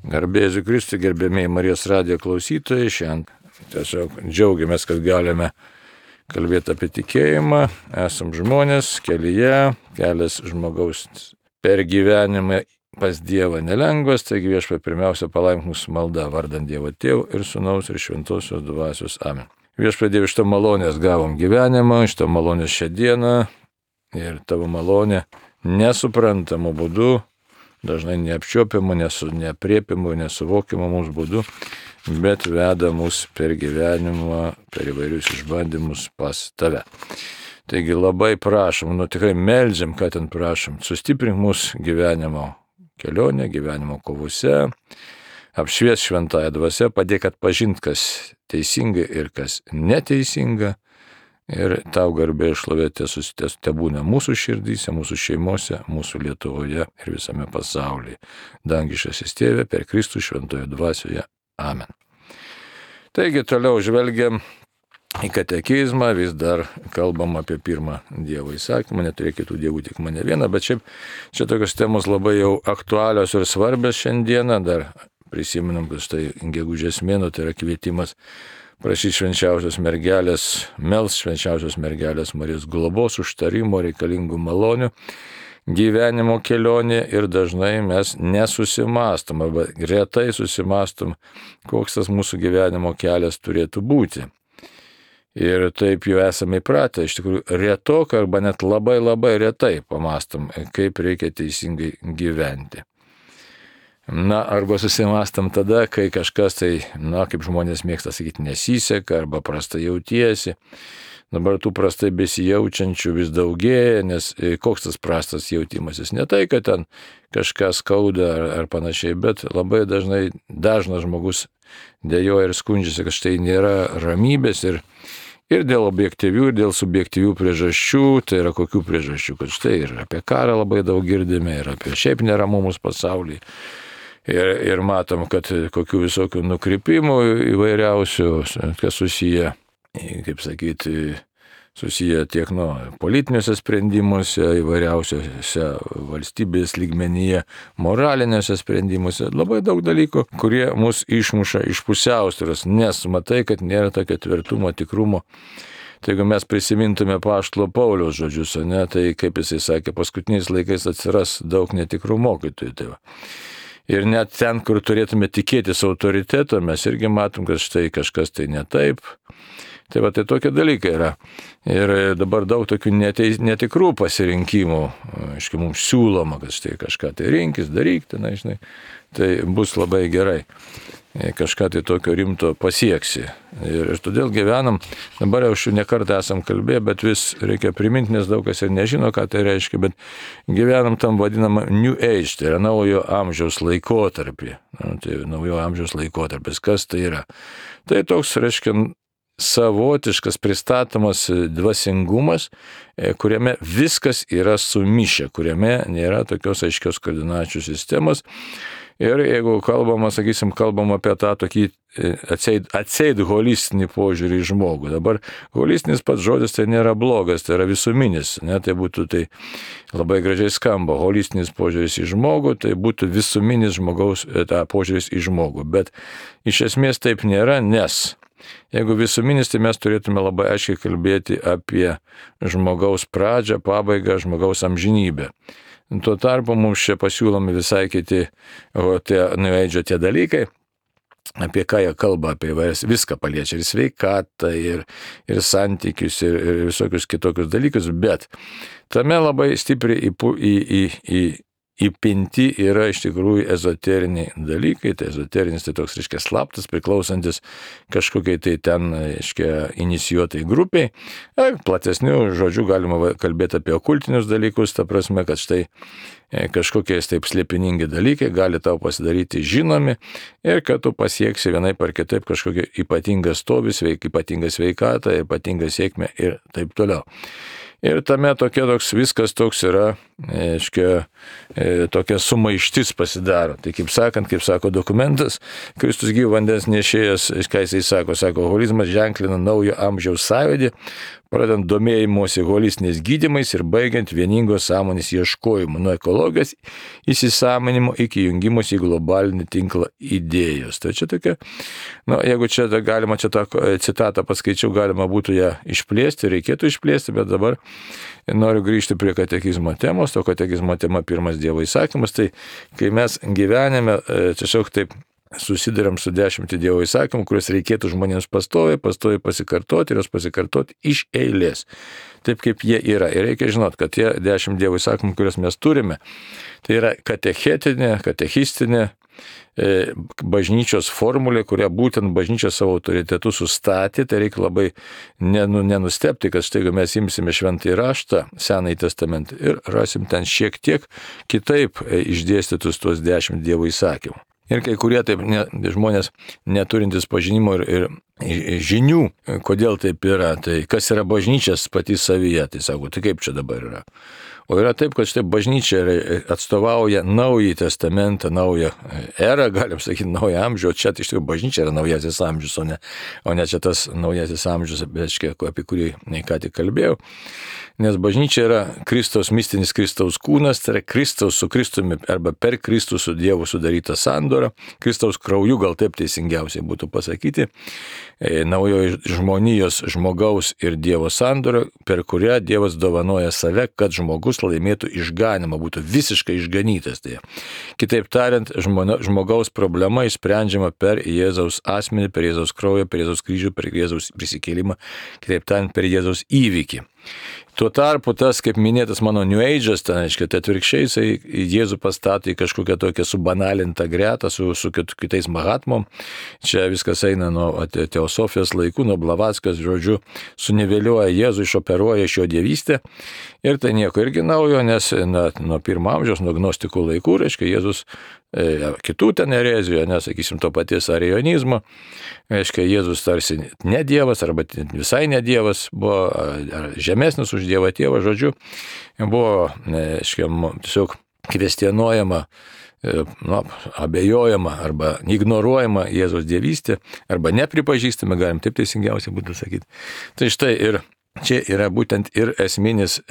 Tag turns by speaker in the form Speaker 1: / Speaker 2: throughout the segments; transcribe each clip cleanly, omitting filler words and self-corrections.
Speaker 1: Garbė Jėzui Kristui, gerbėmiai Marijos radijo klausytojai, šiandien tiesiog džiaugiamės, kad galime kalbėti apie tikėjimą. Esam žmonės kelyje, kelias žmogaus per gyvenimą pas Dievą nelengvas, taigi Viešpatie pirmiausia palaimink mūsų maldą vardant Dievo Tėvo ir Sūnaus ir Šventosios Dvasios. Amen. Viešpatie, Dieve, iš to malonės gavom gyvenimą, iš to malonės šią dieną ir tavo malonė nesuprantamu būdu, dažnai neapčiuopiamu, neapriepiamu, nesuvokiamu mums būdu, bet veda mus per gyvenimą, per įvairius išbandymus pas tave. Taigi labai prašom, tikrai meldžiam, ką ten prašom, sustiprink mūsų gyvenimo kelionę, gyvenimo kovose, apšvies šventąją dvasią, padėk atpažinti, kas teisinga ir kas neteisinga. Ir tau garbė ir šlovė tebūna mūsų širdyse, mūsų šeimose, mūsų Lietuvoje ir visame pasaulyje. Dangiškasis Tėve, per Kristų šventoje dvasioje. Amen. Taigi toliau žvelgiam į katekizmą, vis dar kalbam apie pirmą Dievo įsakymą, neturėk kitų dievų, tik mane vieną, bet šiaip čia tokios temos labai jau aktualios ir svarbios šiandieną. Dar prisiminam, kad štai gegužės mėnuo tai yra kvietimas prašyti švenčiausios mergelės, melst švenčiausios mergelės Marijos globos, užtarimo, reikalingų malonių gyvenimo kelionė ir dažnai mes nesusimastom, arba retai susimastom, koks tas mūsų gyvenimo kelias turėtų būti. Ir taip jau esame įpratę, iš tikrųjų retokai arba net labai retai pamastom, kaip reikia teisingai gyventi. Arba susimastam tada, kai kažkas tai, kaip žmonės mėgsta sakyti, nesiseka arba prastai jautiesi. Dabar tų prastai besijaučiančių vis daugėja, nes koks tas prastas jautimasis? Ne tai, kad ten kažkas skauda ar panašiai, bet labai dažnas žmogus dejuoja ir skundžiasi, kad štai nėra ramybės ir dėl objektyvių, ir dėl subjektyvių priežasčių. Tai yra kokių priežasčių? Kad štai ir apie karą labai daug girdime, ir apie šiaip neramumus pasaulyje. Ir matom, kad kokių visokių nukrypimų įvairiausių, kas susiję, kaip sakyti, susiję tiek politiniuose sprendimuose, įvairiausiuose valstybės lygmenyje, moraliniuose sprendimuose, labai daug dalykų, kurie mus išmuša iš pusiausvyros, nes matai, kad nėra tokio tvirtumo, tikrumo. Tai jeigu mes prisimintume apaštalo Pauliaus žodžius, tai kaip jisai sakė, paskutiniais laikais atsiras daug netikrų mokytojų. Tai ir net ten, kur turėtume tikėtis autoriteto, mes irgi matom, kad štai kažkas tai ne taip. Tai tokie dalykai yra. Ir dabar daug tokių netikrų pasirinkimų, mums siūloma, kad štai kažką tai rinkis, daryk, tai bus labai gerai. Kažką tai tokio rimto pasieksi. Ir todėl gyvenam, dabar jau šių nekartą esam kalbėję, bet vis reikia priminti, nes daug kas ir nežino, ką tai reiškia, bet gyvenam tam vadinamą New Age, tai yra naujo amžiaus laikotarpį. Tai naujo amžiaus laikotarpis, kas tai yra? Tai toks, reiškia, savotiškas pristatomas dvasingumas, kuriame viskas yra sumišę, kuriame nėra tokios aiškios koordinačių sistemos. Ir jeigu kalbam apie tą tokį atseit holistinį požiūrį į žmogų. Dabar holistinis pats žodis tai nėra blogas, tai yra visuminis. Tai būtų tai labai gražiai skamba. Holistinis požiūris į žmogų, tai būtų visuminis žmogaus požiūris į žmogų. Bet iš esmės taip nėra, nes jeigu visuminis, tai mes turėtume labai aiškiai kalbėti apie žmogaus pradžią, pabaigą, žmogaus amžinybę. Tuo tarpu mums čia pasiūlomi visai kiti tie dalykai, apie ką jie kalba, apie viską paliečia, ir sveikatą, ir santykius, ir visokius kitokius dalykus, bet tame labai stipriai įpinti yra iš tikrųjų ezoteriniai dalykai. Tai ezoterinis tai toks, reiškia, slaptas, priklausantis kažkokiai tai ten, reiškia, inicijuotai grupiai. Platesnių žodžių galima kalbėti apie okultinius dalykus, ta prasme, kad štai kažkokiais taip slėpiningi dalykai gali tau pasidaryti žinomi ir kad tu pasieksi vienaip ar kitaip kažkokią ypatingą stovį, ypatingą sveikatą, ypatingą sėkmę ir taip toliau. Ir tame viskas toks yra tokia sumaištis pasidaro. Tai kaip sako dokumentas, Kristus gyvo vandens nešėjas, ką jisai sako, holizmas ženklina naujo amžiaus sąvedį, pradant domėjimosi holistiniais gydymais ir baigiant vieningos sąmonės ieškojimu, nuo ekologijos įsisąmonimo iki jungimosi į globalinį tinklą idėjos. Tai čia tokia, jeigu čia galima, čia tą citatą paskaičiau, galima būtų ją išplėsti, reikėtų išplėsti, bet dabar noriu grįžti prie katekizmo temos. To katekizmo tema pirmas Dievo įsakymas. Tai kai mes gyvenime tiesiog taip susiduriam su 10 Dievo įsakymų, kuriuos reikėtų žmonėms pastoviai pasikartoti ir jos pasikartoti iš eilės. Taip kaip jie yra. Ir reikia žinot, kad tie 10 Dievo įsakymų, kuriuos mes turime, tai yra katechistinė bažnyčios formulė, kurią būtent bažnyčia savo autoritetu sustatė. Tai reikia labai nenustebti, kad štai mes imsime šventąjį raštą, Senąjį testamentą ir rasim ten šiek tiek kitaip išdėstytus tuos 10 Dievo įsakymų. Ir kai kurie taip žmonės neturintys pažinimo ir žinių, kodėl taip yra, tai kas yra bažnyčias pati savyje, tai sako, tai kaip čia dabar yra. O yra taip, kad štai bažnyčia atstovauja naująjį testamentą, naują erą, galim sakyti, naują amžių, o čia tai iš tikrųjų bažnyčia yra naujasis amžius, o ne čia tas naujasis amžius, apie kurį ką tik kalbėjau. Nes bažnyčia yra Kristaus, mistinis Kristaus kūnas, tai yra Kristaus su Kristumi arba per Kristų su Dievu sudaryta sandora, Kristaus krauju, gal taip teisingiausiai būtų pasakyti, naujoji žmonijos, žmogaus ir Dievo sandora, per kurią Dievas dovanoja save, kad žmogus laimėtų išganimą, būtų visiškai išganytas. Tai. Kitaip tariant, žmogaus problema išsprendžiama per Jėzaus asmenį, per Jėzaus kraują, per Jėzaus kryžių, per Jėzaus prisikėlimą, kitaip tariant, per Jėzaus įvykį. Tuo tarpu tas, kaip minėtas mano New Age'as, tai atvirkščiai jisai Jėzų pastato į kažkokią tokią subanalintą gretą su kitais mahatmom. Čia viskas eina nuo teosofijos laikų, nuo Blavatskas, žodžiu, suniveliuoja Jėzų, išoperuoja iš jo dievystę. Ir tai nieko irgi naujo, nes nuo 1 amžiaus, nuo gnostikų laikų, Jėzus kitų ten erezijų, nesakysim, to paties arijonizmo, Jėzus tarsi ne Dievas arba visai ne Dievas, buvo žemesnis už Dievą tėvą, žodžiu, buvo tiesiog kvestionuojama, abejojama arba ignoruojama Jėzaus dievystė, arba nepripažįstama, galim taip teisingiausiai būtų sakyti. Tai štai ir čia yra būtent ir esminis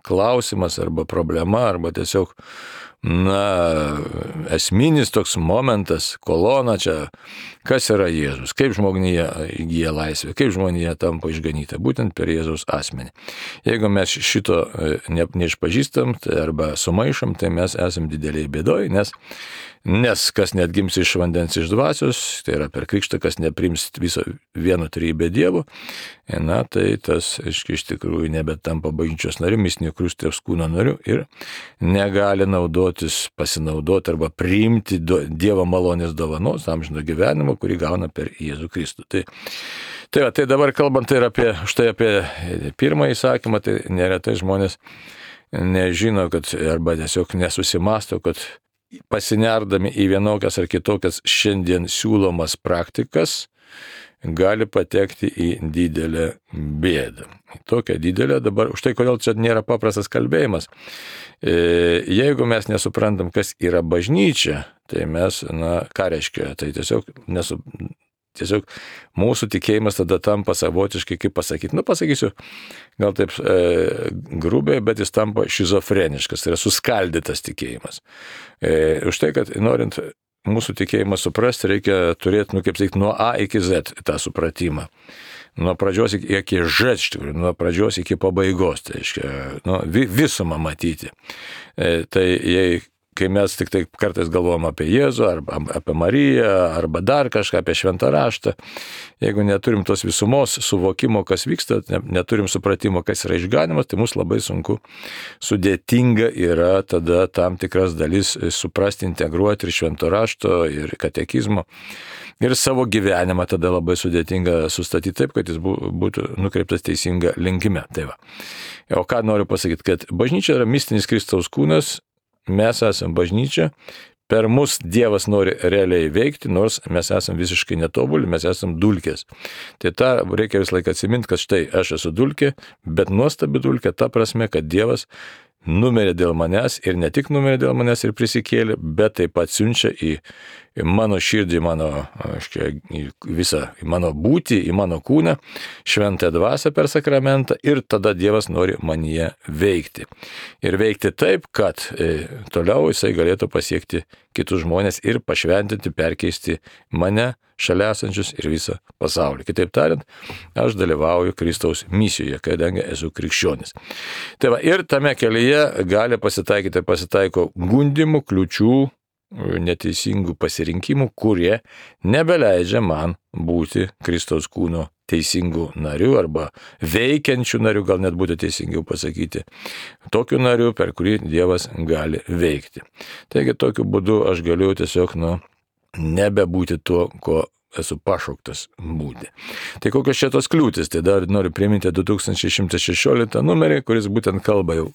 Speaker 1: klausimas arba problema, arba tiesiog esminis toks momentas, kolona čia, kas yra Jėzus, kaip žmonija įgyja laisvę, kaip žmonija tampa išganyta, būtent per Jėzaus asmenį. Jeigu mes šito neišpažįstam arba sumaišom, tai mes esam dideliai bėdoj, nes kas neatgims iš vandens iš dvasios, tai yra per krikštą, kas neprims viso vieno trejybę Dievo, tai tas iš tikrųjų nebetampa bažnyčios nariu, mistinio Kristaus kūno nariu ir negali pasinaudoti arba priimti Dievo malonės dovanos, amžino gyvenimo, kurį gauna per Jėzų Kristų. Tai dabar kalbant ir apie pirmąjį įsakymą, tai neretai žmonės nežino, arba tiesiog nesusimasto, kad pasinerdami į vienokias ar kitokias šiandien siūlomas praktikas, gali patekti į didelę bėdą. Tokią didelę dabar, už tai kodėl čia nėra paprastas kalbėjimas. Jeigu mes nesuprantam, kas yra bažnyčia, tai mes, ką reiškia, tai tiesiog mūsų tikėjimas tada tampa savotiškai, kaip pasakyti, pasakysiu, gal taip grubiai, bet jis tampa šizofreniškas, tai yra suskaldytas tikėjimas. Už tai, kad norint mūsų tikėjimą suprasti, reikia turėti, nuo A iki Z tą supratimą. Nuo pradžios iki Ž, iš tikrųjų, nuo pradžios iki pabaigos, tai reiškia, visumą matyti. Tai kai mes tik tai kartais galvojam apie Jėzų, arba apie Mariją, arba dar kažką apie šventą raštą, jeigu neturim tos visumos suvokimo, kas vyksta, neturim supratimo, kas yra išganimas, tai mums labai sunku, sudėtinga yra tada tam tikras dalis suprasti, integruoti ir švento rašto, ir katekizmo. Ir savo gyvenimą tada labai sudėtinga sustatyti taip, kad jis būtų nukreiptas teisinga linkime. Tai va. O ką noriu pasakyti, kad bažnyčia yra mistinis Kristaus kūnas, mes esame bažnyčia, per mus Dievas nori realiai veikti, nors mes esame visiškai netobuli, mes esame dulkės. Tai tą reikia visą laiką atsiminti, kad štai aš esu dulkė, bet nuostabi dulkė ta prasme, kad Dievas numirė dėl manęs ir ne tik numirė dėl manęs ir prisikėlė, bet taip pat siunčia į mano širdį, į visą mano būtį, į mano kūną, šventąją dvasią per sakramentą ir tada Dievas nori manyje veikti. Ir veikti taip, kad toliau jisai galėtų pasiekti kitus žmonės ir pašventinti, perkeisti mane, šalia esančius ir visą pasaulį. Kitaip tariant, aš dalyvauju Kristaus misijoje, kadangi esu krikščionis. Tai va, ir tame kelyje gali pasitaiko gundimų, kliučių, neteisingų pasirinkimų, kurie nebeleidžia man būti Kristaus kūno teisingų narių arba veikiančių narių, gal net būtų teisingiau pasakyti, tokių narių, per kurį Dievas gali veikti. Taigi tokiu būdu aš galiu tiesiog nebebūti tuo, ko esu pašauktas būti. Tai kokios čia tos kliūtis? Tai dar noriu priminti 2116 numerį, kuris būtent kalba jau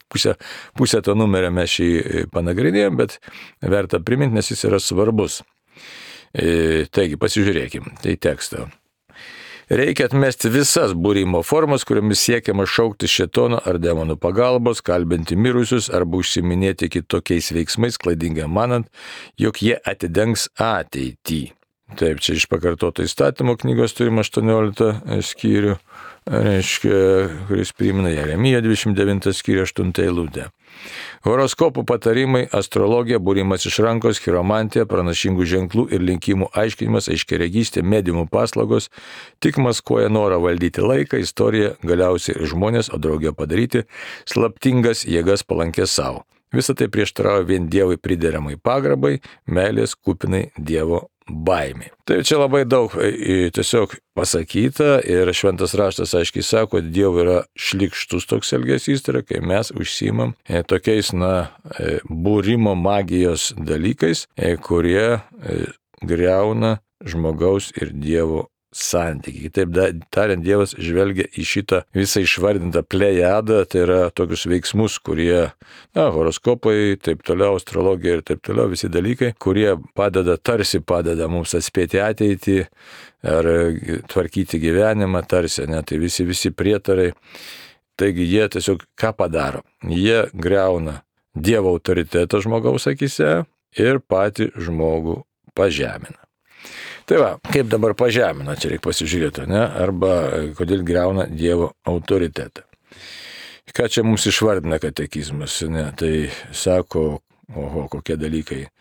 Speaker 1: pusę to numerio mes šį panagrinėjom, bet verta priminti, nes jis yra svarbus. Taigi, pasižiūrėkim, tai tekstą. Reikia atmesti visas būrimo formas, kuriomis siekiama šaukti šėtono ar demonų pagalbos, kalbinti mirusius arba užsiminėti kitokiais veiksmais, klaidingai manant, jog jie atidengs ateitį. Taip, čia iš pakartoto įstatymo knygos turim 18 skyrių, kuris primena Jeremiją 29 skyrių 8 eilutę. Horoskopų patarimai, astrologija, būrimas iš rankos, chiromantija, pranašingų ženklų ir linkimų aiškinimas, aiškiaregystė, mediumų paslaugos tik maskuoja norą valdyti laiką, istoriją, galiausiai ir žmonės, o draugė padaryti slaptingas jėgas palankės savo. Visą tai prieštarauja vien Dievui prideramai pagarbai, meilės kupinai Dievo baimė. Tai čia labai daug tiesiog pasakyta ir šventas raštas aiškiai sako, kad Dievui yra šlykštus toks elgesys, tai yra, kai mes užsiimam tokiais, būrimo magijos dalykais, kurie griauna žmogaus ir Dievo santykiai. Kitaip tariant, Dievas žvelgia į šitą visą išvardintą plejadą, tai yra tokius veiksmus, kurie, horoskopai, taip toliau, astrologija ir taip toliau, visi dalykai, kurie tarsi padeda mums atspėti ateitį ar tvarkyti gyvenimą, tarsi, tai visi prietarai. Taigi jie tiesiog ką padaro? Jie griauna Dievo autoritetą žmogaus akise ir patį žmogų pažemina. Tai va, kaip dabar pažemina, čia reikia pasižiūrėti, arba kodėl griauna Dievo autoritetą. Ką čia mums išvardina katekizmas, tai sako, kokie dalykai.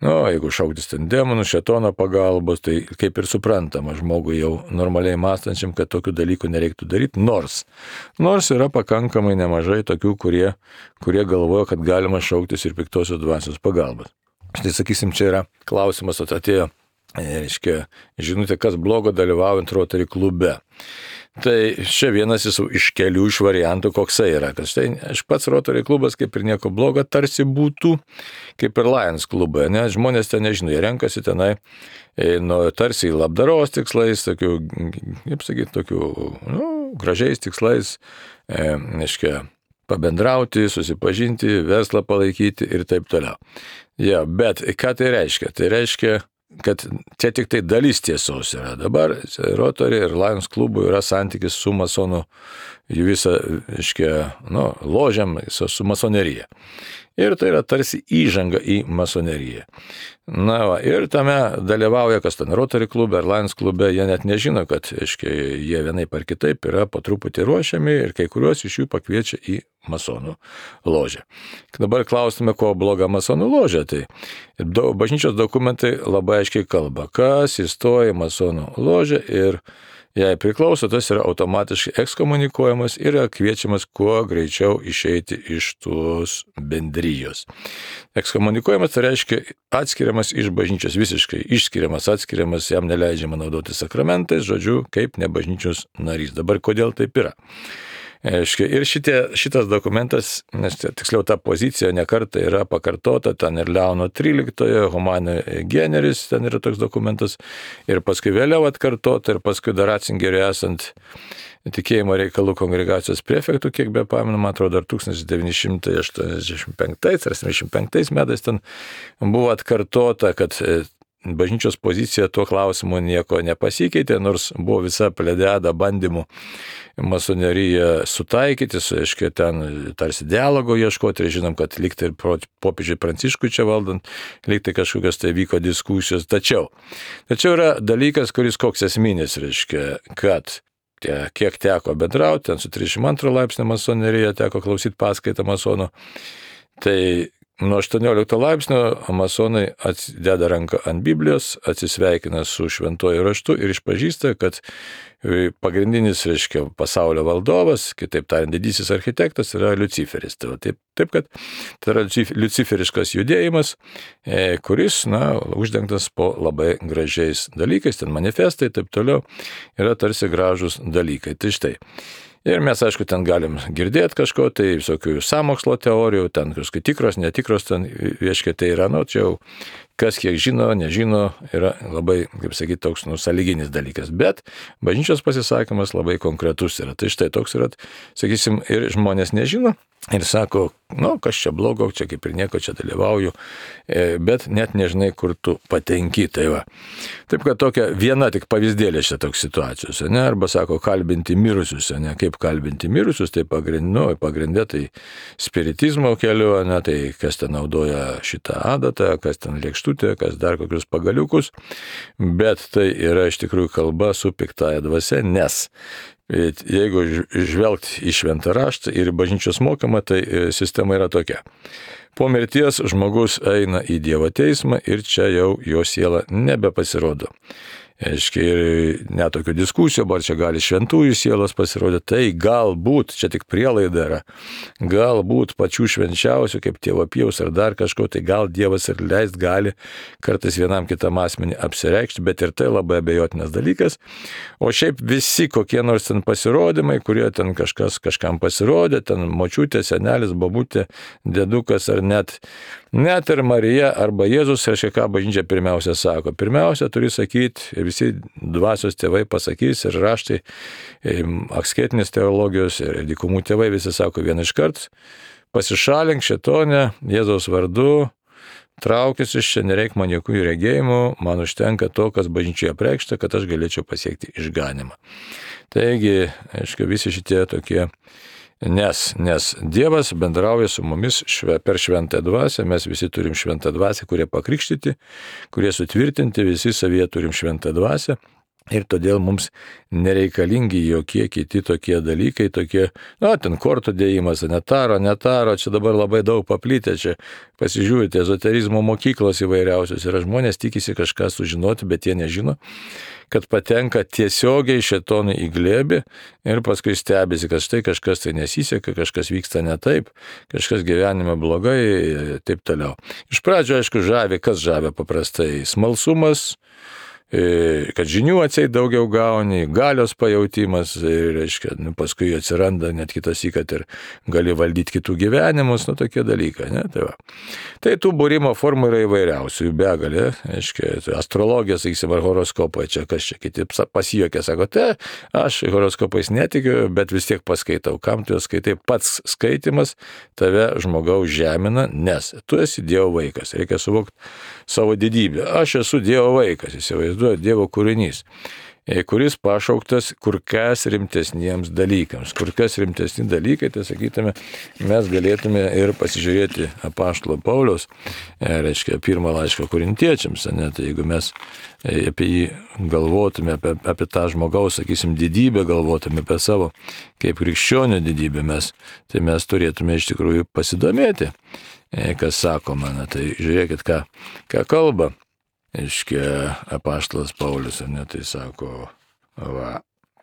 Speaker 1: Jeigu šauktis ten demonų, šėtono pagalbos, tai kaip ir suprantama žmogui jau normaliai mąstančiam, kad tokių dalykų nereiktų daryti, nors yra pakankamai nemažai tokių, kurie galvoja, kad galima šauktis ir piktosios dvasios pagalbos. Štai sakysim, čia yra klausimas atėjo. Žinutė, kas blogo dalyvaujant Rotary klube. Tai čia vienas iš kelių iš variantų, koksai yra. Kad štai aš pats Rotary klubas kaip ir nieko blogo tarsi būtų, kaip ir Lions klube. Žmonės ten nežino, jie renkasi tenai tarsi labdaros tikslais, tokių gražiais tikslais, pabendrauti, susipažinti, verslą palaikyti ir taip toliau. Bet ką tai reiškia? Tai reiškia, kad čia tik tai dalis tiesos yra. Dabar Rotary ir Lions klubų yra santykis su masonų, jų visą, ložiam, su masonerija. Ir tai yra tarsi įžanga į masoneriją. Ir tame dalyvauja, kas ten Rotary klube ar Lions klube, jie net nežino, kad jie vienaip ar kitaip yra po truputį ruošiami ir kai kuriuos iš jų pakviečia į masonų ložę. Dabar klausime, ko bloga masonų ložė. Tai bažnyčios dokumentai labai aiškiai kalba, kas įstoja į masonų ložę ir jei priklauso, tas yra automatiškai ekskomunikuojamas ir kviečiamas kuo greičiau išeiti iš tos bendrijos. Ekskomunikuojamas tai reiškia atskiriamas iš bažnyčios, visiškai išskiriamas, atskiriamas, jam neleidžiama naudoti sakramentais, žodžiu, kaip nebažnyčios narys. Dabar kodėl taip yra? Ir šitas dokumentas, tiksliau ta pozicija nekartą yra pakartota, ten ir Leono 13, Humane Generis, ten yra toks dokumentas, ir paskui vėliau atkartota, ir paskui dar Ratzingeriui esant tikėjimo reikalų kongregacijos prefektų, kiek be pamenu, man atrodo, dar 1985 ar 75 metais ten buvo atkartota, kad bažnyčios pozicija tuo klausimu nieko nepasikeitė, nors buvo visa plejada bandymų masoneriją sutaikyti, aiškiai ten tarsi dialogo ieškoti, ir žinom, kad lyg tai popiežiui Pranciškui čia valdant, lyg tai kažkokios tai vyko diskusijos. Tačiau yra dalykas, kuris koks esminis, reiškia, kad kiek teko bendrauti, ten su 32 laipsnio masonerija teko klausyti paskaitą masonų, tai nuo 18 laipsnio masonai deda ranką ant Biblijos, atsisveikina su šventuoju raštu ir išpažįsta, kad pagrindinis, reiškia, pasaulio valdovas, kitaip tariant, didysis architektas yra Liuciferis. Taip kad tai yra liuciferiškas judėjimas, kuris, uždengtas po labai gražiais dalykais, ten manifestai, taip toliau, yra tarsi gražus dalykai. Tai štai. Ir mes, aišku, ten galim girdėti kažko, tai visokių sąmokslo teorijų, ten kažkai tikros, netikros, ten vieškai tai yra, čia jau kas kiek žino, nežino, yra labai, kaip sakyti, toks sąlyginis dalykas. Bet bažnyčios pasisakymas labai konkretus yra. Tai štai toks yra, sakysim, ir žmonės nežino ir sako, kas čia blogo, čia kaip ir nieko čia dalyvauju, bet net nežinai, kur tu patenki. Tai va. Taip, kad tokia viena tik pavyzdėlė šitą toks situacijos, arba sako, kalbinti mirusius, kaip kalbinti mirusius, tai pagrindė tai spiritizmo keliu, tai kas ten naudoja šitą adatą, kas ten lėkštutė, kas dar kokius pagaliukus, bet tai yra iš tikrųjų kalba su piktaja dvasia, nes jeigu žvelgti į šventą raštą ir bažnyčios mokymą, tai sistema yra tokia. Po mirties žmogus eina į Dievo teismą ir čia jau jo siela nebepasirodo. Aiškiai, ir netokių diskusijų, ar čia gali šventųjų sielos pasirodyti, tai galbūt, čia tik prielaida yra, galbūt pačių švenčiausių, kaip tėvo Pijaus ar dar kažko, tai gal Dievas ir leist gali kartais vienam kitam asmenį apsireikšti, bet ir tai labai abejotinas dalykas. O šiaip visi kokie nors ten pasirodymai, kurie ten kažkam pasirodė, ten močiutė, senelis, babutė, dedukas ar net ir Marija arba Jėzus, reiškia, ką bažnyčia pirmiausia sako. Pirmiausia, turi sakyti, visi dvasios tėvai pasakys ir raštai, aksketinės teologijos ir dykumų tėvai visi sako vieną iškart, pasišalink šėtone, Jėzaus vardu, traukis iš čia, nereik man jokių regėjimų, man užtenka to, kas bažnyčioje apreikšta, kad aš galėčiau pasiekti išganimą. Taigi, aišku, visi šitie tokie, nes Dievas bendrauja su mumis per šventą dvasią, mes visi turim šventą dvasią, kurie pakrikštyti, kurie sutvirtinti, visi savyje turim šventą dvasią. Ir todėl mums nereikalingi jokie kiti tokie dalykai, ten kortų dėjimas, netaro, čia dabar labai daug paplitę, čia pasižiūrite, ezoterizmo mokyklos įvairiausios yra, žmonės tikisi kažką sužinoti, bet jie nežino, kad patenka tiesiogiai šėtonui į glėbį ir paskui stebisi, kad štai kažkas tai nesiseka, kažkas vyksta ne taip, kažkas gyvenime blogai, taip toliau. Iš pradžio, aišku, kas žavi paprastai smalsumas, kad žinių atseit daugiau gauni, galios pajautimas, ir, reiškia, paskui atsiranda net kitas kad ir gali valdyti kitų gyvenimus, tokie dalykai, ne? Tai tų būrimo formų yra įvairiausių, jų begalė, reiškia, astrologija, sakysim, ar horoskopai, čia kas čia kiti pasijuokė, sako, aš horoskopais netikiu, bet vis tiek paskaitau, kam tu skaitai, pats skaitimas tave žmogaus žemina, nes tu esi Dievo vaikas, reikia suvokti savo didybę, aš esu Dievo vaikas, įsivaizduoju, Dievo kūrinys, kuris pašauktas kur kas rimtesniems dalykams. Kur kas rimtesni dalykai, tai sakytume, mes galėtume ir pasižiūrėti apaštalo Pauliaus, reiškia, pirmą laišką korintiečiams, tai jeigu mes apie jį galvotume, apie tą žmogaus, sakysim, didybę, galvotume apie savo kaip krikščionio didybę, tai mes turėtume iš tikrųjų pasidomėti, kas sakoma, tai žiūrėkit, ką kalba. Iškia apaštalas Paulius, tai sako,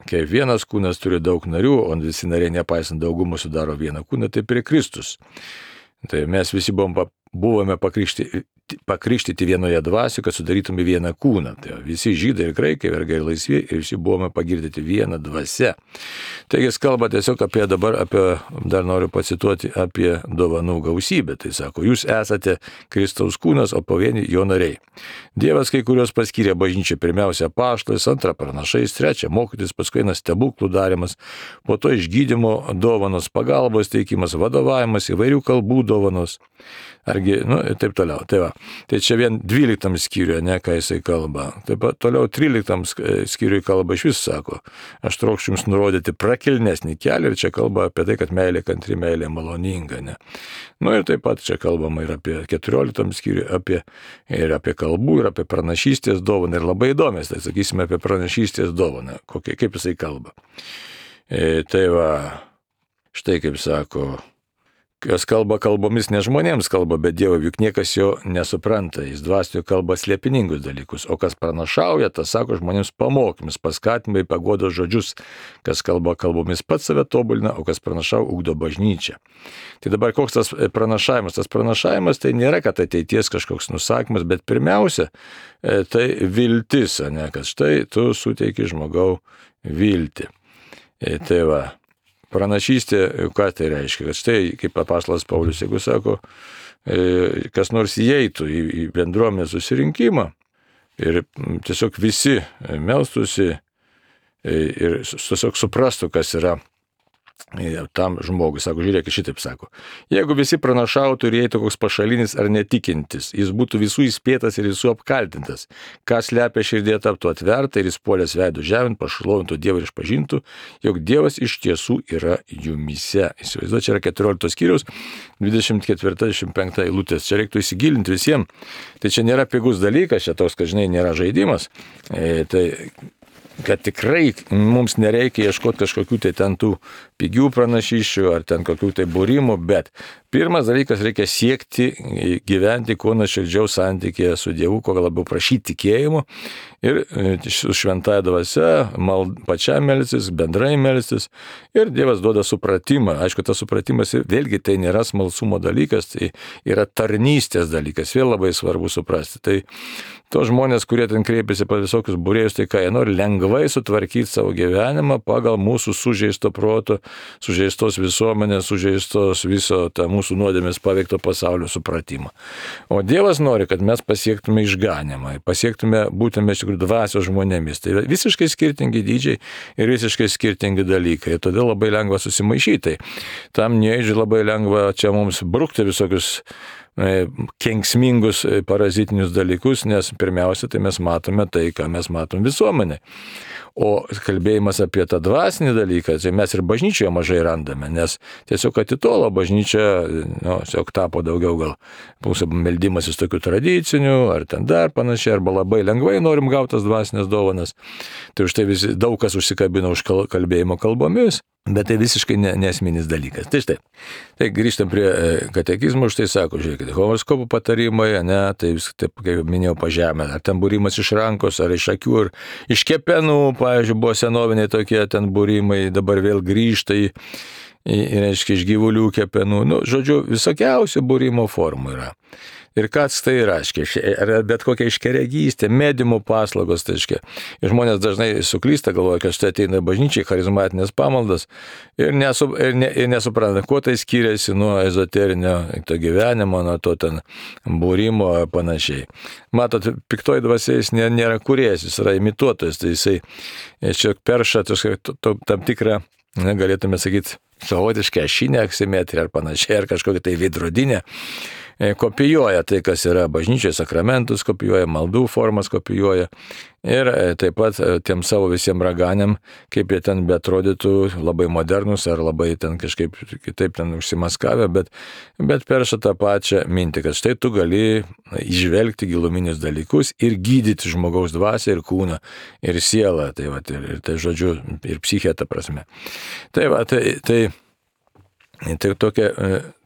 Speaker 1: kaip vienas kūnas turi daug narių, o visi nariai nepaisant daugumą sudaro vieną kūną, tai prie Kristus. Tai mes visi buvome pakrikštyti vienoje dvasioje, kad sudarytume vieną kūną. Tai visi žydai ir graikai, vergai ir laisvi, ir visi buvome pagirdyti vieną dvasią. Taigi jis kalba tiesiog dar noriu pacituoti, apie dovanų gausybę. Tai sako, jūs esate Kristaus kūnas, o pavieni jo nariai. Dievas kai kurios paskyrė bažnyčią, pirmiausia apaštalais, antrą pranašais, trečią mokytis, paskui eina stebuklų darimas, po to išgydymo dovanos, pagalbos teikimas, vadovavimas, įvairių kalbų dovanos. argi, ir taip toliau. Tai va. Tai čia vien 12 skyriuje, ką jisai kalba. Taip pat toliau 13 skyriuje kalba iš vis sako, aš trokščiu jums nurodyti prakilnesnį kelią ir čia kalba apie tai, kad meilė kantri, meilė maloninga, ne. Ir taip pat čia kalbama ir apie 14 skyriuje, ir apie kalbų, ir apie pranašystės dovaną. Ir labai įdomės, tai sakysime apie pranašystės dovaną, kaip jisai kalba. Tai va, štai kaip sako, kas kalba kalbomis ne žmonėms kalba, bet Dievui, juk niekas jo nesupranta, jis dvasioje kalba slėpiningus dalykus, o kas pranašauja, tas sako žmonėms pamokymus, paskatinimai, paguodos žodžius, kas kalba kalbomis pats save tobulina, o kas pranašau ugdo bažnyčią. Tai dabar koks tas pranašavimas? Tas pranašavimas tai nėra, kad ateities kažkoks nusakymas, bet pirmiausia, tai viltis, kad štai tu suteiki žmogau viltį. Tai va. Pranašystė, ką tai reiškia, kad štai, kaip apaštalas Paulius, jeigu sako, kas nors įeitų į bendruomenės susirinkimą ir tiesiog visi melstųsi ir tiesiog suprastų, kas yra tam žmogui, sako, žiūrėk, šitaip sako, jeigu visi pranašautų ir įeitų koks pašalinis ar netikintis, jis būtų visų įspėtas ir visų apkaltintas, kas slepia širdėje taptų atverta ir jis puolęs veidų žemint, pašlovintų Dievą ir išpažintų, jog Dievas iš tiesų yra jumyse. Įsivaizduoju, čia yra 14 skyriaus, 24-25 eilutės, čia reiktų įsigilinti visiems, tai čia nėra pigus dalykas, čia toks, kad žinai, nėra žaidimas, tai kad tikrai mums nereikia ieškoti kažkokių tai ten tų pigių pranašysčių ar ten kokių tai būrimų, bet pirmas dalykas, reikia siekti gyventi kuo nuoširdžiau santykėje su Dievu, kuo labiau prašyti tikėjimo ir su šventąja dvasia pačiam melstis, bendrai melstis ir Dievas duoda supratimą. Aišku, tas supratimas vėlgi tai nėra smalsumo dalykas, tai yra tarnystės dalykas, vėl labai svarbu suprasti. Tai tos žmonės, kurie ten kreipiasi pas visokius būrėjus, tai ką jie nori lengvai sutvarkyti savo gyvenimą pagal mūsų sužeisto proto, sužeistos visuomenės, sužeistos viso tą mūsų nuodėmės paveikto pasaulio supratimą. O Dievas nori, kad mes pasiektume išganymą, pasiektume būtume iš tikrųjų dvasios žmonėmis. Tai visiškai skirtingi dydžiai ir visiškai skirtingi dalykai. Todėl labai lengva susimaišyti. Tam neįdžiai labai lengva čia mums brukti visokius kenksmingus parazitinius dalykus, nes pirmiausia, tai mes matome tai, ką mes matom visuomenė. O kalbėjimas apie tą dvasinį dalyką, tai mes ir bažnyčioje mažai randame, nes tiesiog atitolo bažnyčia, tiesiog tapo daugiau gal mūsų meldimasis tokių tradicinių, ar ten dar panašiai, arba labai lengvai norim gauti tas dvasinės dovanas. Tai už tai daug kas užsikabino už kalbėjimo kalbomis, bet tai visiškai nesminis dalykas. Tai štai, tai grįžtam prie katekizmo, už tai sako, žiūrėkite, horoskopų patarimai, tai vis, taip kaip minėjau, pažemė, ar ten būrimas iš rankos, ar iš akių, ar iš kepenų, pavyzdžiui, buvo senoviniai tokie ten būrimai, dabar vėl grįžta reiškia, iš gyvulių kepenų, žodžiu, visokiausių būrimo formų yra. Ir kas tai reiškia, bet kokia iškeregystė, mediumų paslaugos, tai reiškia. Ir žmonės dažnai suklysta, galvoja, kad štai ateina bažnyčiai, charizmatinės pamaldas ir nesupranta, kuo tai skiriasi nuo ezoterinio to gyvenimo, nuo to ten būrimo ar panašiai. Matot, piktoji dvasia jis nėra kūrėjas, jis yra imituotojas, tai jisai čia perša tam tikrą, galėtume sakyti, savotišką ašinę aksimetriją ar panašiai, ar kažkokią tai veidrodinę. Kopijuoja tai, kas yra bažnyčioje, sakramentus kopijuoja, maldų formas kopijuoja ir taip pat tiem savo visiems raganiam, kaip jie ten beatrodytų labai modernus ar labai ten kažkaip kitaip ten užsimaskavę, bet perša tą pačią mintį, kad štai tu gali įžvelgti giluminius dalykus ir gydyti žmogaus dvasią ir kūną ir sielą, tai va, ir tai žodžiu, ir psichę ta prasme. Tai va, tai tokia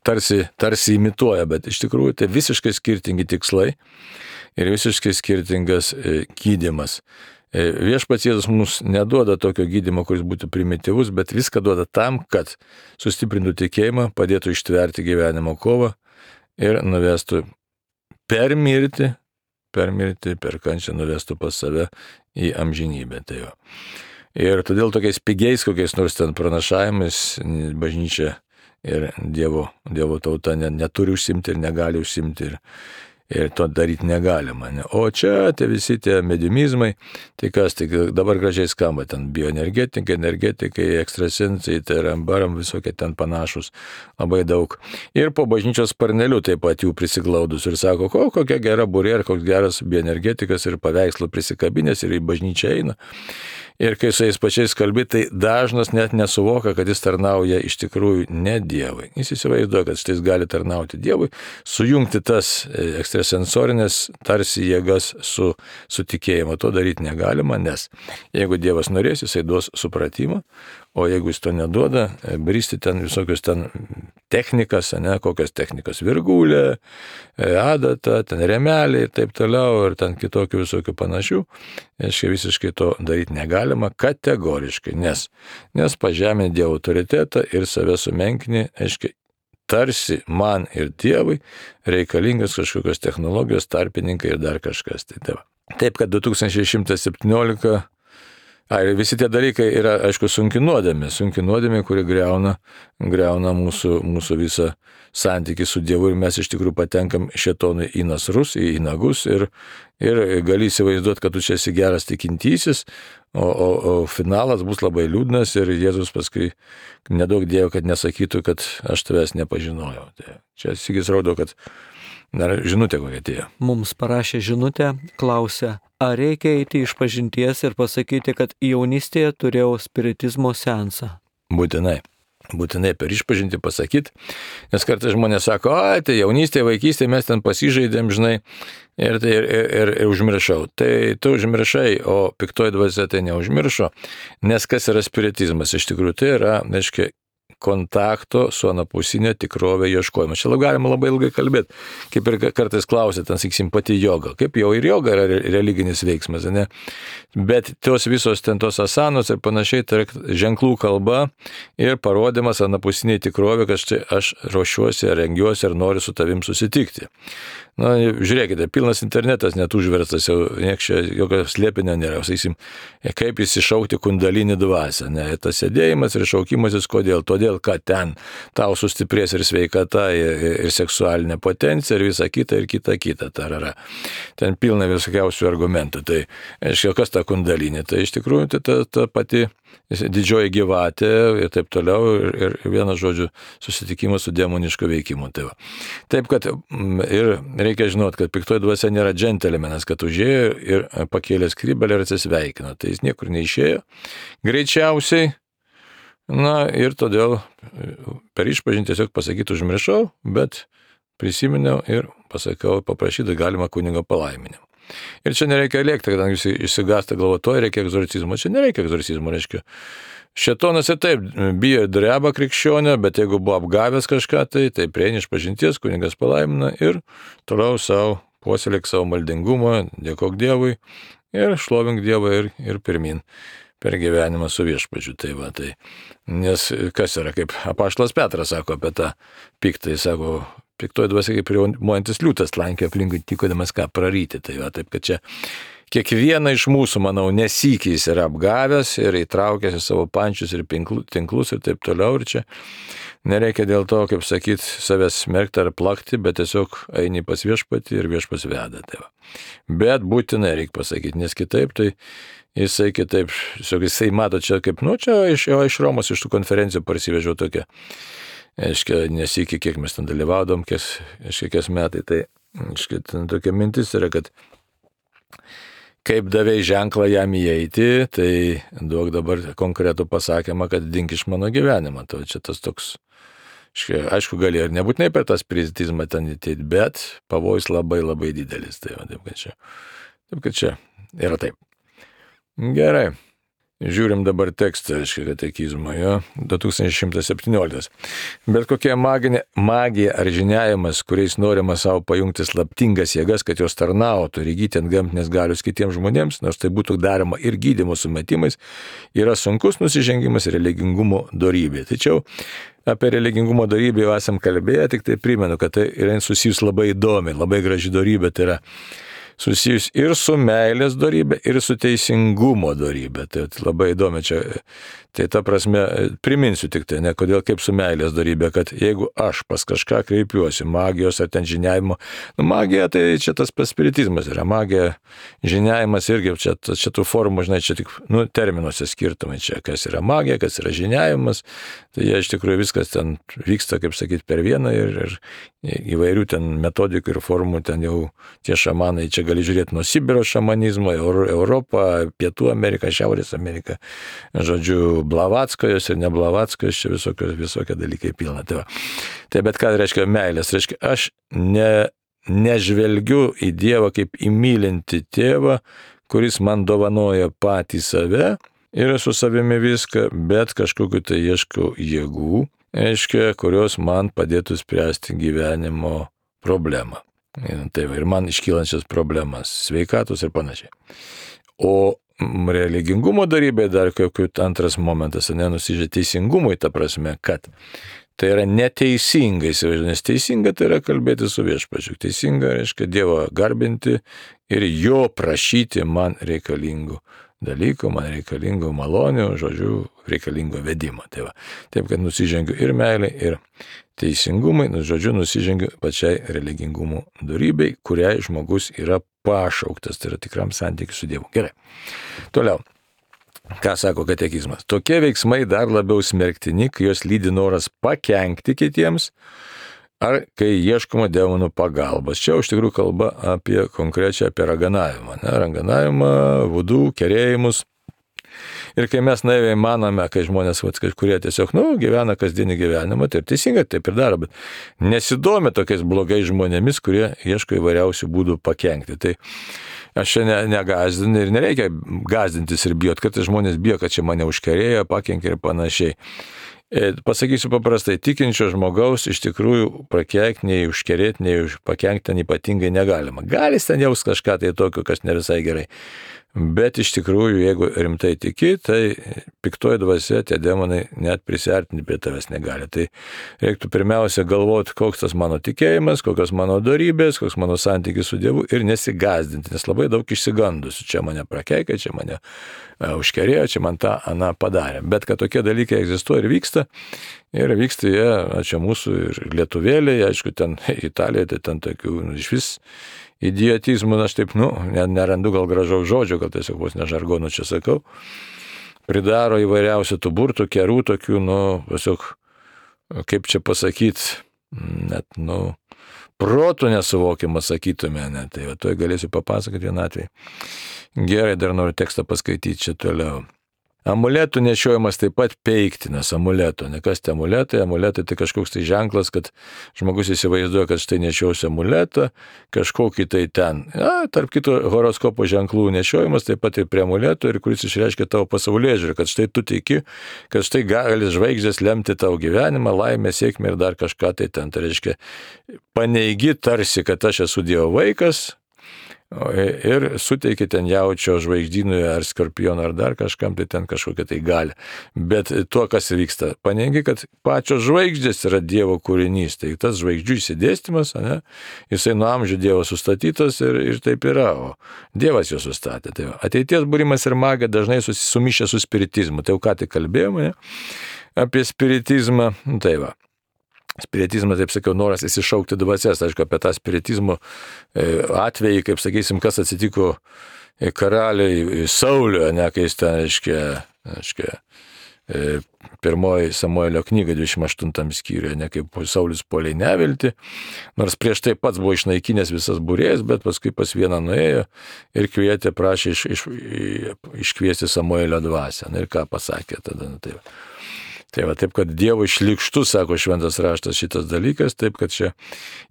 Speaker 1: tarsi imituoja, bet iš tikrųjų tai visiškai skirtingi tikslai ir visiškai skirtingas gydymas. Viešpats Jėzus mums neduoda tokio gydymo, kuris būtų primityvus, bet viską duoda tam, kad sustiprintų tikėjimą, padėtų ištverti gyvenimo kovą ir nuvestų per mirtį, per kančią nuvestų pas save į amžinybę. Tai jo. Ir todėl tokiais pigiais, kokiais nors ten pranašavimais bažnyčia ir Dievo tauta neturi užsimti ir negali užsimti. ir to daryti negalima. Ne? O čia visi tie mediumizmai, tai kas, tai dabar gražiai skamba, ten bioenergetikai, energetikai, ekstrasensai, tai rambaram visokie ten panašus, labai daug. Ir po bažnyčios sparneliu taip pat jų prisiglaudus ir sako, kokia gera burė ir koks geras bioenergetikas ir paveikslų prisikabinės ir į bažnyčią eina. Ir kai su jais pačiais kalbi, tai dažnas net nesuvoka, kad jis tarnauja iš tikrųjų ne Dievui. Jis įsivaizduoja, kad štai jis gali tarnauti Dievui, sujungti tas ekstrasensorinės tarsi jėgas su tikėjimu. To daryti negalima, nes jeigu Dievas norės, jisai duos supratimą, o jeigu jis to neduoda, bristi ten visokius ten technikas, kokios technikos, virgulė, adata, ten remelė ir taip toliau, ir ten kitokių visokių panašių, visiškai to daryti negalima kategoriškai, nes pažeminti Dievo autoritetą ir save sumenkini, tarsi man ir Dievui reikalingas kažkokios technologijos, tarpininkai ir dar kažkas. Taip, kad 2117 visi tie dalykai yra, aišku, sunki nuodėmė, kuri greuna mūsų visą santykį su Dievu ir mes iš tikrųjų patenkam šėtonui į nasrus, į nagus ir gali įsivaizduoti, kad tu čia esi geras tikintysis, o finalas bus labai liūdnas ir Jėzus paskui nedaug Dievo, kad nesakytų, kad aš tavęs nepažinojau. Tai čia Sigis rodo, kad dar žinutė kokia atėjo.
Speaker 2: Mums parašė žinutę, klausė, ar reikia eiti iš pažinties ir pasakyti, kad jaunystėje turėjau spiritizmo seansą?
Speaker 1: Būtinai per išpažinti pasakyti, nes kartais žmonės sako, tai jaunystėje, vaikystėje mes ten pasižaidėm, žinai, ir užmiršau. Tai tu užmiršai, o piktoji dvasia tai neužmiršo, nes kas yra spiritizmas? Iš tikrųjų tai yra, kontakto su anapusinė tikrovė ieškojimas. Čia galima labai ilgai kalbėti, kaip ir kartais klausė, ten saksim, pati joga, kaip jau ir joga yra religinis veiksmas, ne? Bet tos visos ten tos asanos ir panašiai, tai ženklų kalba ir parodimas anapusinė tikrovė, kad štai aš ruošiuosi, rengiuosi ir noriu su tavim susitikti. Na, žiūrėkite, pilnas internetas net užverstas, jau jokio slėpinio nėra, sakysim, kaip įsišaukti kundalinį dvasią, ne, tas sėdėjimas ir šaukimasis, kodėl, todėl, kad ten tau sustiprės ir sveikata, ir seksualinė potencija, ir visa kita, tarara. Ten pilna visokiausių argumentų, tai, kas ta kundalinė, tai iš tikrųjų tai ta pati didžioji gyvatė ir taip toliau, ir vienas žodžiu susitikimas su demonišku veikimu. Taip, kad ir reikia žinoti, kad piktoji dvasia nėra džentelmenas, kad užėjo ir pakėlė skrybelę ir atsisveikino. Tai jis niekur neišėjo, greičiausiai. Na ir todėl per išpažinti tiesiog pasakyti užmiršau, bet prisiminiau ir pasakiau, paprašyti galima kunigo palaiminimo. Ir čia nereikia lėkti, kadangi jūs išsigąsta galvotoje, reikia egzorcizmo. Čia nereikia egzorcizmo, reiškia. Šėtonas ir taip bijo dreba krikščionio, bet jeigu buvo apgavęs kažką, tai prieini išpažinties, kunigas palaimina ir toliau savo puoselėk savo maldingumą, dėkok Dievui ir šlovink Dievą ir pirmin per gyvenimą su viešpačiu. Tai. Nes kas yra, kaip apaštalas Petras sako apie tą piktą, jis sako, piktoji dvasia kaip riaumojantis liūtas lankė aplinkui tikodamas ką praryti. Taip, kad čia kiekvieną iš mūsų, manau, nesykį jis yra apgavęs ir įtraukęs į savo pančius ir tinklus ir taip toliau. Ir čia nereikia dėl to, kaip sakyti, savęs smerkti ar plakti, bet tiesiog eini pas viešpatį ir viešpas veda. Bet būtinai reikia pasakyti, nes kitaip tai jisai kitaip, jisai mato čia kaip, čia iš Romos, iš tų konferencijų parsivežiau tokią. Nesikį, kiek mes ten dalyvaudom, kiek metai, tai ten tokia mintis yra, kad kaip davėjai ženklą jam įeiti, tai duok dabar konkretų pasakymą, kad dink iš mano gyvenimą. Tai čia tas toks, aišku, gali ir nebūtinai per tą spiritizmą ten įteiti, bet pavojus labai labai didelis. Taip, kad čia yra taip. Gerai. Žiūrim dabar tekstą, katekizmo, 2117. Bet kokia magija ar žiniavimas, kuriais norima savo pajungti slaptingas jėgas, kad jos tarnautų ir įgyti antgamtinės galios kitiems žmonėms, nors tai būtų daroma ir gydymo sumetimais, yra sunkus nusižengimas religingumo dorybė. Tačiau apie religingumo dorybę jau esam kalbėję, tik tai primenu, kad tai yra susijus labai įdomi, labai graži dorybė, tai yra susijus ir su meilės dorybė, ir su teisingumo dorybė. Tai labai įdomi čia. Tai ta prasme, priminsiu tik tai, ne kodėl kaip su meilės dorybė, kad jeigu aš pas kažką kreipiuosi, magijos ar ten žiniavimo, magija tai čia tas spiritizmas yra, magija, žiniavimas irgi, čia tų formų, žinai, čia tik, terminuose skirtumai čia, kas yra magija, kas yra žiniavimas, tai jie iš tikrųjų viskas ten vyksta, kaip sakyti, per vieną ir įvairių ten metodikų ir formų, ten jau tie šamanai, čia gali žiūrėti nuo Sibiro šamanizmo, Europą, Pietų Ameriką, Šiaurės Ameriką, žodžiu, Blavatskojos ir ne Blavatskojos, čia visokie dalykai pilna. Tai bet ką reiškia meilės, reiškia, aš nežvelgiu į Dievą kaip į mylintį tėvą, kuris man dovanoja patį save ir su savimi viską, bet kažkokiu tai ieškau jėgų, reiškia, kurios man padėtų spręsti gyvenimo problemą. Tai ir man iškylančias problemas, sveikatos ir panašiai. O religingumo darybė dar kokiu antras momentas, nenusižė teisingumui, ta prasme, kad tai yra neteisinga, nes teisinga tai yra kalbėti su viešpačiu. Teisinga reiškia Dievą garbinti ir jo prašyti man reikalingų dalykų, man reikalingų malonių, žodžiu, reikalingo vedimo. Taip, kad nusižengiu ir meilė, ir teisingumai, žodžiu, nusižengiu pačiai religingumo dorybei, kuriai žmogus yra pašauktas, tai yra tikram santykiu su Dievu. Gerai. Toliau. Ką sako katekizmas? Tokie veiksmai dar labiau smerktini, kai jos lydi noras pakenkti kitiems, ar kai ieškoma demonų pagalbos. Čia iš tikrųjų kalba apie konkrečią apie raganavimą. Raganavimą, vudų, kerėjimus. Ir kai mes naiviai manome, kai žmonės, kurie tiesiog, gyvena kasdienį gyvenimą, tai ir teisingai taip ir daro, bet nesidomi tokiais blogais žmonėmis, kurie ieško įvairiausių būdų pakenkti. Tai aš čia negazdinu ir nereikia gazdintis ir bijot, kad žmonės bijo, kad čia mane užkerėjo, pakenkė ir panašiai. Pasakysiu paprastai, tikinčio žmogaus iš tikrųjų prakeikti, nei užkerėti, nei pakenkti ten ypatingai negalima. Gali ten jaus kažką tai tokio, kas ne visai gerai. Bet iš tikrųjų, jeigu rimtai tiki, tai piktoji dvasia, tie demonai net prisiartinti prie tavęs negali. Tai reiktų pirmiausia galvoti, koks tas mano tikėjimas, kokios mano dorybės, koks mano santykis su Dievu ir nesigazdinti, nes labai daug išsigandusių. Čia mane prakeikė, čia mane užkerėjo, čia man tą, aną padarė. Bet kad tokie dalykai egzistuoja ir vyksta jie, čia mūsų ir lietuvėliai, aišku, ten Italijoje, tai ten tokių iš vis idiotizmų, aš taip, nerandu gal gražaus žodžio, gal tiesiog vos ne žargonų čia sakau, pridaro įvairiausių tų burtų, kerų tokių, tiesiog, kaip čia pasakyti, net, protų nesuvokiamą sakytume, net, tai to galėsiu papasakoti vieną atvejį. Gerai, dar noriu tekstą paskaityti čia toliau. Amuletų nešiojimas taip pat peiktinas, amuleto. Ne kas tai amuletai? Amuletai tai kažkoks tai ženklas, kad žmogus įsivaizduoja, kad štai nešiausi amuletą, kažkokį tai ten. Tarp kitų horoskopo ženklų nešiojimas taip pat ir prie amuleto, ir kuris išreiškia tavo pasaulėžiūrį, kad štai tu tiki, kad štai gali žvaigždės lemti tavo gyvenimą, laimę, sėkmę ir dar kažką tai ten. Tai reiškia, paneigi tarsi, kad aš esu Dievo vaikas, ir suteikia ten jaučio žvaigždynui ar skorpionui ar dar kažkam, tai ten kažkokia tai gali. Bet tuo, kas vyksta, paneigi, kad pačios žvaigždės yra Dievo kūrinys, tai tas žvaigždžių įsidėstymas, jisai nuo amžių Dievo sustatytas ir taip yra, o Dievas jo sustatė. Tai ateities būrimas ir magija dažnai sumišę su spiritizmu. Tai jau ką tik kalbėjome apie spiritizmą, tai va. Spiritizmas, taip sakiau, noras įsišaukti dvasias. Aišku, apie tą spiritizmo atvejį, kaip sakysim, kas atsitiko karaliui Sauliui, kai jis ten, reiškia, pirmoji Samuelio knyga 28 skyriuje, kaip Saulius puolė į neviltį, nors prieš tai pats buvo išnaikinęs visas būrėjas, bet paskui pas vieną nuėjo ir kvietė, prašė iškviesti Samuelio dvasią. Ir ką pasakė tada? Tai va, taip, kad Dievo šlykštus, sako šventas raštas, šitas dalykas, taip, kad čia.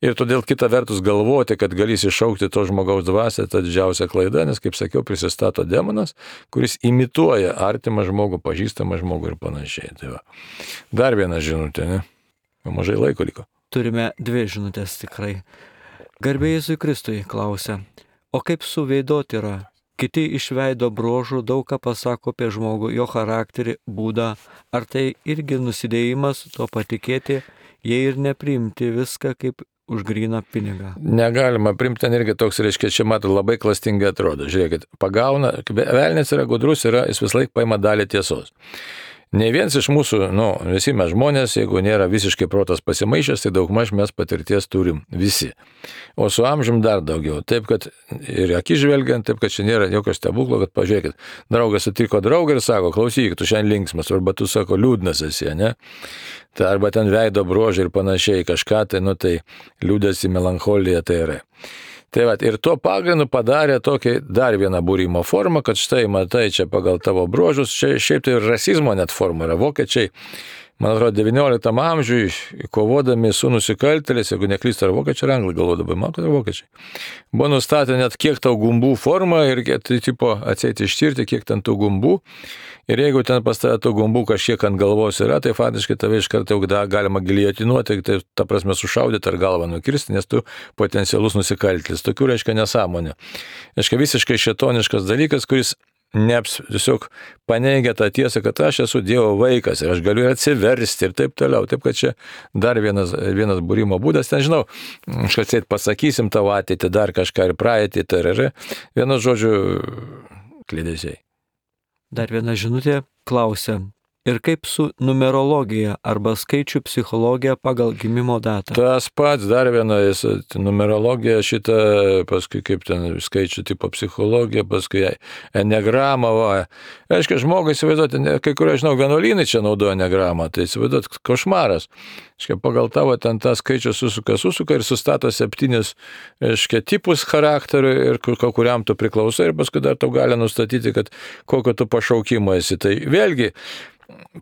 Speaker 1: Ir todėl kita vertus galvoti, kad galės iššaukti to žmogaus dvasią, tai didžiausia klaida, nes, kaip sakiau, prisistato demonas, kuris imituoja artimą žmogų, pažįstamą žmogų ir panašiai. Tai va. Dar viena žinutė, ne? Jau mažai laiko liko.
Speaker 2: Turime 2 žinutės tikrai. Garbė Jėzui Kristui klausia, o kaip su veidotyra? Kiti iš veido bruožų daug ką pasako apie žmogų, jo charakterį, būdą. Ar tai irgi nusidėjimas, to patikėti, jei ir nepriimti viską kaip už gryną pinigą.
Speaker 1: Negalima primti, ten irgi toks, reiškia, čia mato labai klastingai atrodo. Žiūrėkit, pagauna, velnis yra gudrus, jis vis laik paima dalį tiesos. Ne vienas iš mūsų, visi mes žmonės, jeigu nėra visiškai protas pasimaišęs, tai daugmaž mes patirties turim visi. O su amžium dar daugiau. Taip, kad ir akis žvelgiant, taip, kad čia nėra jokio stebuklo, kad pažiūrėkit, draugas sutiko draugą ir sako, klausyk, tu šiandien linksmas, arba tu sako, liūdnas esi, ne? Tai arba ten veido bruožai ir panašiai kažką, tai liūdėsi, melancholija tai yra. Tai va, ir tuo pagrindu padarė tokį dar vieną būrimo formą, kad štai, matai, čia pagal tavo bruožus, čia šiaip tai rasizmo net forma yra. Vokiečiai, man atrodo, 19 amžiui, kovodami su nusikaltėliais, jeigu neklystu, ar vokiečiai ar anglai galvodavo, man kad yra vokiečiai, buvo nustatę net kiek tau gumbų formą ir tai tipo atseit ištirti, kiek ten tų gumbų. Ir jeigu ten pas tave tų gumbų kažkiek ant galvos yra, tai faktiškai tave iš karto galima giliotinuoti, tai ta prasme sušaudyti ar galvą nukirsti, nes tu potencialus nusikaltėlis. Tokių reiškia nesąmonė. Reiškia visiškai šėtoniškas dalykas, kuris tiesiog paneigia tą tiesą, kad aš esu Dievo vaikas ir aš galiu ir atsiversti ir taip toliau. Taip, kad čia dar vienas būrimo būdas. Ten žinau, kažkas pasakysim tavo ateitį, dar kažką ir praeitį, vienu žodžiu, klydesiai.
Speaker 2: Dar viena žinutė klausia, ir kaip su numerologija arba skaičių psichologija pagal gimimo datą? Tas
Speaker 1: pats, dar viena, numerologija šitą, paskui kaip ten skaičių tipo psichologija, paskui enegramą. Reiškia, žmogai, įsivaizduoti, kai kurie, žinau, vienuolynai čia naudoja enegramą, tai įsivaizduoti, košmaras. Reiškia, pagal tavo ten tą skaičių susuka ir sustato 7, reiškia, tipus charakterių ir kuriam tu priklausai ir paskui dar tau gali nustatyti, kad kokio tu pašaukimo esi. Tai vėlgi,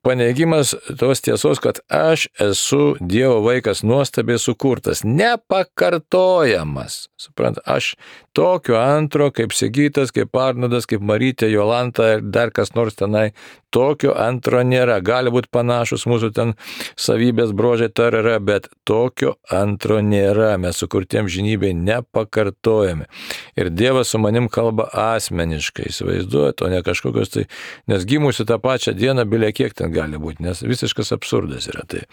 Speaker 1: paneigimas tos tiesos, kad aš esu Dievo vaikas nuostabiai sukurtas, nepakartojamas. Suprant, aš tokio antro, kaip Sigitas, kaip Arnodas, kaip Marytė, Jolanta ir dar kas nors tenai, tokio antro nėra. Gali būti panašus mūsų ten savybės brožiai tarara, bet tokio antro nėra. Mes sukurtiem žinybei nepakartojami. Ir Dievas su manim kalba asmeniškai, įsivaizduojat, o ne kažkokios tai, nes gimusi tą pačią dieną, bilė kiek ten gali būti, nes visiškas absurdas yra tai.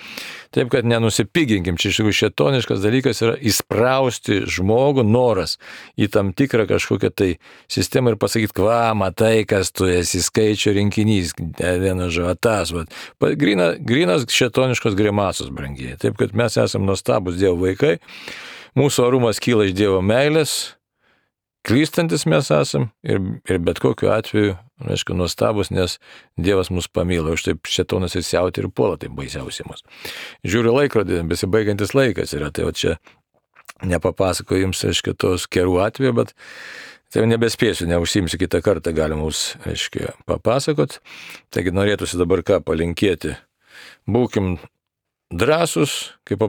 Speaker 1: Taip, kad nenusipiginkim, čia iš tikrųjų šėtoniškas dalykas yra įsprausti žmogų, noras į tam tikrą kažkokią tai sistemą ir pasakyti, matai, kas tu esi, skaičių rinkinys, vienas žavatas, grynas šėtoniškos grimasos, brangiai. Taip, kad mes esame nuostabus Dievo vaikai, mūsų orumas kyla iš Dievo meilės, klystantis mes esam ir bet kokiu atveju, aišku, nuostabus, nes Dievas mus pamilo, už taip šėtonas ir siauti ir puola, taip baisiausiai mus. Žiūriu laikrodį, besibaigiantis laikas yra, tai čia nepapasakoju jums, aišku, tos kerų atveju, bet tai nebespėsiu, neužsimsiu, kitą kartą galima mums, aišku, papasakot. Taigi norėtųsi dabar ką palinkėti. Būkim drąsus, kaip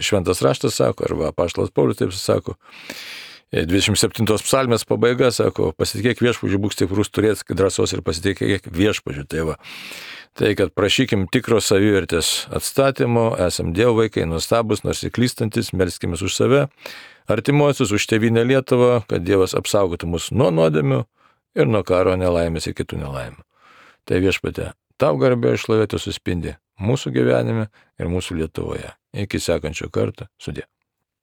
Speaker 1: šventas raštas sako, arba apaštalas Paulius taip sako. 27 psalmės pabaiga sako, pasitikėk viešpačiu, būk stiprus, turėk drąsos ir pasitikėk viešpačiu. Tai va, tai kad prašykim tikro savivertės atstatymo, esam Dievo vaikai, nuostabus, nors ir klystantis, melskimės už save, artimuosius, už tėvynę Lietuvą, kad Dievas apsaugotų mus nuo nuodėmių ir nuo karo nelaimės ir kitų nelaimių. Tai viešpatie, tau garbė ir šlovė suspindi mūsų gyvenime ir mūsų Lietuvoje. Iki sekančio karto, sudie.